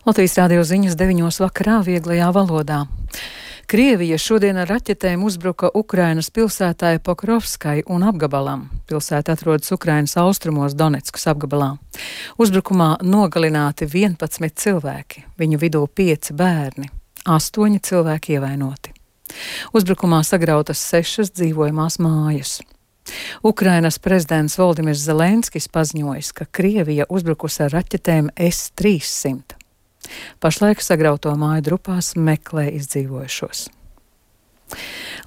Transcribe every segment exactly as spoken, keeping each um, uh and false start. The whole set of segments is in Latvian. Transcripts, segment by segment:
Latvijas rādio ziņas deviņos vakarā vieglajā valodā. Krievija šodien ar raķetēm uzbruka Ukrainas pilsētai Pokrovskai un apgabalam. Pilsēta atrodas Ukrainas austrumos Doneckas apgabalā. Uzbrukumā nogalināti vienpadsmit cilvēki, viņu vidū pieci bērni, astoņi cilvēki ievainoti. Uzbrukumā sagrautas sešas dzīvojamās mājas. Ukrainas prezidents Voldimirs Zelenskis paziņojis, ka Krievija uzbrukusi ar raķetēm S trīssimt. Pašlaik sagrauto māju drupās meklē izdzīvojušos.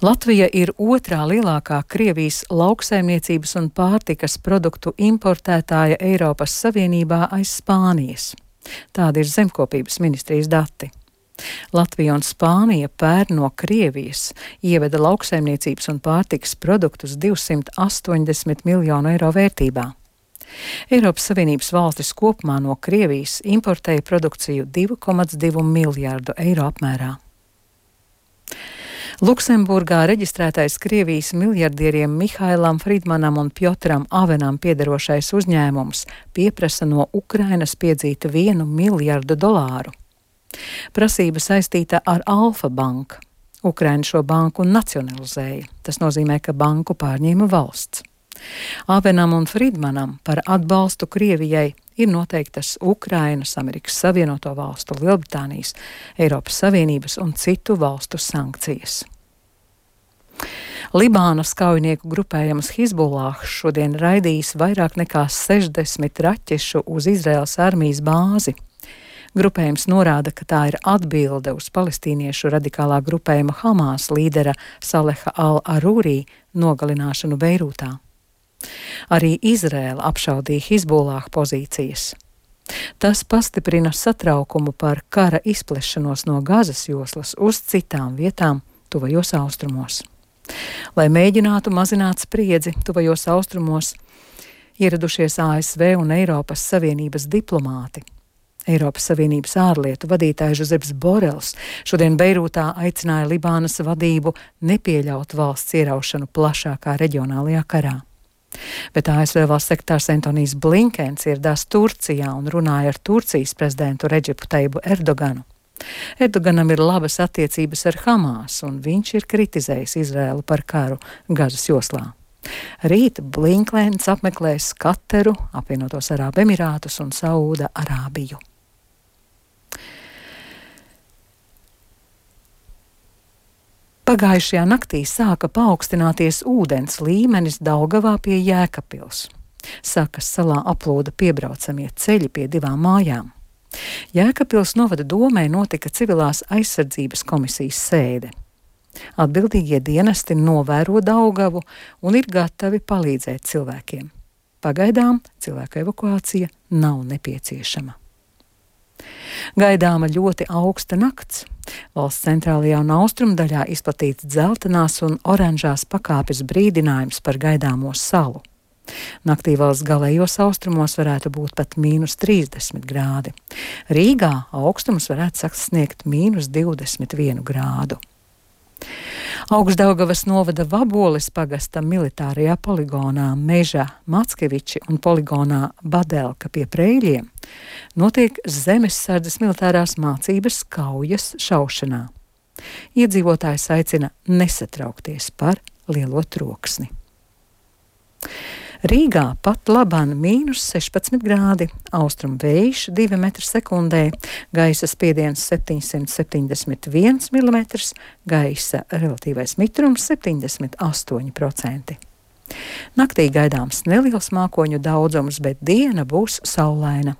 Latvija ir otrā lielākā Krievijas lauksaimniecības un pārtikas produktu importētāja Eiropas Savienībā aiz Spānijas. Tādi ir zemkopības ministrijas dati. Latvija un Spānija pērn no Krievijas ieveda lauksaimniecības un pārtikas produktus divsimt astoņdesmit miljonu eiro vērtībā. Eiropas Savienības valstis kopumā no Krievijas importēja produkciju divi komats divi miljārdu eiro apmērā. Luksemburgā reģistrētais Krievijas miljardieriem Mihailam Fridmanam un Pjotram Avenam piederošais uzņēmums pieprasa no Ukrainas piedzīt vienu miljardu dolāru. Prasība saistīta ar Alfa banku. Ukraina šo banku nacionalizēja. Tas nozīmē, ka banku pārņēma valsts. Avenam un Fridmanam par atbalstu Krievijai ir noteiktas Ukrainas, Amerikas Savienoto Valstu, Lielbritānijas, Eiropas Savienības un citu valstu sankcijas. Libānas kaujinieku grupējums Hizbullah šodien raidījis vairāk nekā sešdesmit raķešu uz Izraēlas armijas bāzi. Grupējums norāda, ka tā ir atbilde uz palestīniešu radikālā grupējuma Hamas līdera Saleha al-Arūrī nogalināšanu Beirūtā. Arī Izraēla apšaudīja Hizbullah pozīcijas. Tas pastiprina satraukumu par kara izplešanos no Gazas joslas uz citām vietām tuvajos austrumos. Lai mēģinātu mazināt spriedzi tuvajos austrumos, ieradušies A S V un Eiropas Savienības diplomāti. Eiropas Savienības ārlietu vadītājs Žozeps Borels šodien Beirūtā aicināja Libānas vadību nepieļaut valsts ieraušanu plašākā reģionālajā karā. Bet A S V valsts sekretārs Antonijs Blinkens ieradās Turcijā un runāja ar Turcijas prezidentu Redžepu Tajibu Erdoganu. Erdoganam ir labas attiecības ar Hamas, un viņš ir kritizējis Izraēlu par karu Gazas joslā. Rīt Blinkens apmeklēs Kataru, apvienotos Arābu Emirātus un Saūda Arābiju. Pagājušajā naktī sāka paaugstināties ūdens līmenis Daugavā pie Jēkabpils. Sakas salā aplūda piebraucamie ceļi pie divām mājām. Jēkabpils novada domē notika civilās aizsardzības komisijas sēde. Atbildīgie dienesti novēro Daugavu un ir gatavi palīdzēt cilvēkiem. Pagaidām cilvēku evakuācija nav nepieciešama. Gaidāma ļoti augsta nakts. Valsts centrālajā un austrumdaļā izplatīts dzeltenās un oranžās pakāpes brīdinājums par gaidāmo salu. Naktī valsts galējos austrumos varētu būt pat mīnus trīsdesmit grādi. Rīgā augstums varētu sasniegt mīnus divdesmit vienu grādu. Augšdaugavas novada Vaboles pagasta militārajā poligonā Meža Mackeviči un poligonā Badelka pie Preļiem notiek zemessardzes militārās mācības kaujas šaušanā. Iedzīvotājs aicina nesatraukties par lielo troksni. Rīgā pat labāk mīnus sešpadsmit grādi, austrumu vējš divi metri sekundē, gaisa spiediens septiņsimt septiņdesmit viens milimetrs, gaisa relatīvais mitrums septiņdesmit astoņi procenti. Naktī gaidāms neliels mākoņu daudzums, bet diena būs saulaina.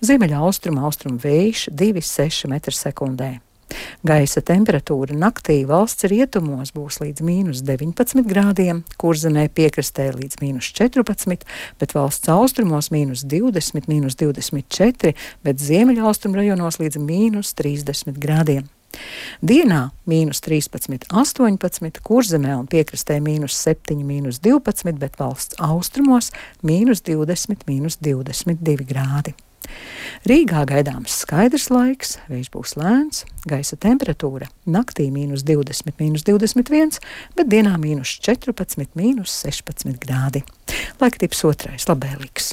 Ziemeļa austrumu austrumu vējš divi komats seši metri sekundē. Gaisa temperatūra naktī valsts rietumos būs līdz mīnus deviņpadsmit grādiem, Kurzemē piekrastē līdz mīnus četrpadsmit, bet valsts austrumos mīnus divdesmit, mīnus divdesmit četri, bet ziemeļa austrumu rajonos līdz mīnus trīsdesmit grādiem. Dienā mīnus trīspadsmit, astoņpadsmit, Kurzemē un piekrastē mīnus septiņi, mīnus divpadsmit, bet valsts austrumos mīnus divdesmit, mīnus divdesmit divi grādi. Rīgā gaidāms skaidrs laiks, vējš būs lēns, gaisa temperatūra naktī mīnus divdesmit, mīnus divdesmit viens, bet dienā mīnus četrpadsmit, mīnus sešpadsmit grādi. Laika tips otrais, labvēlīgs.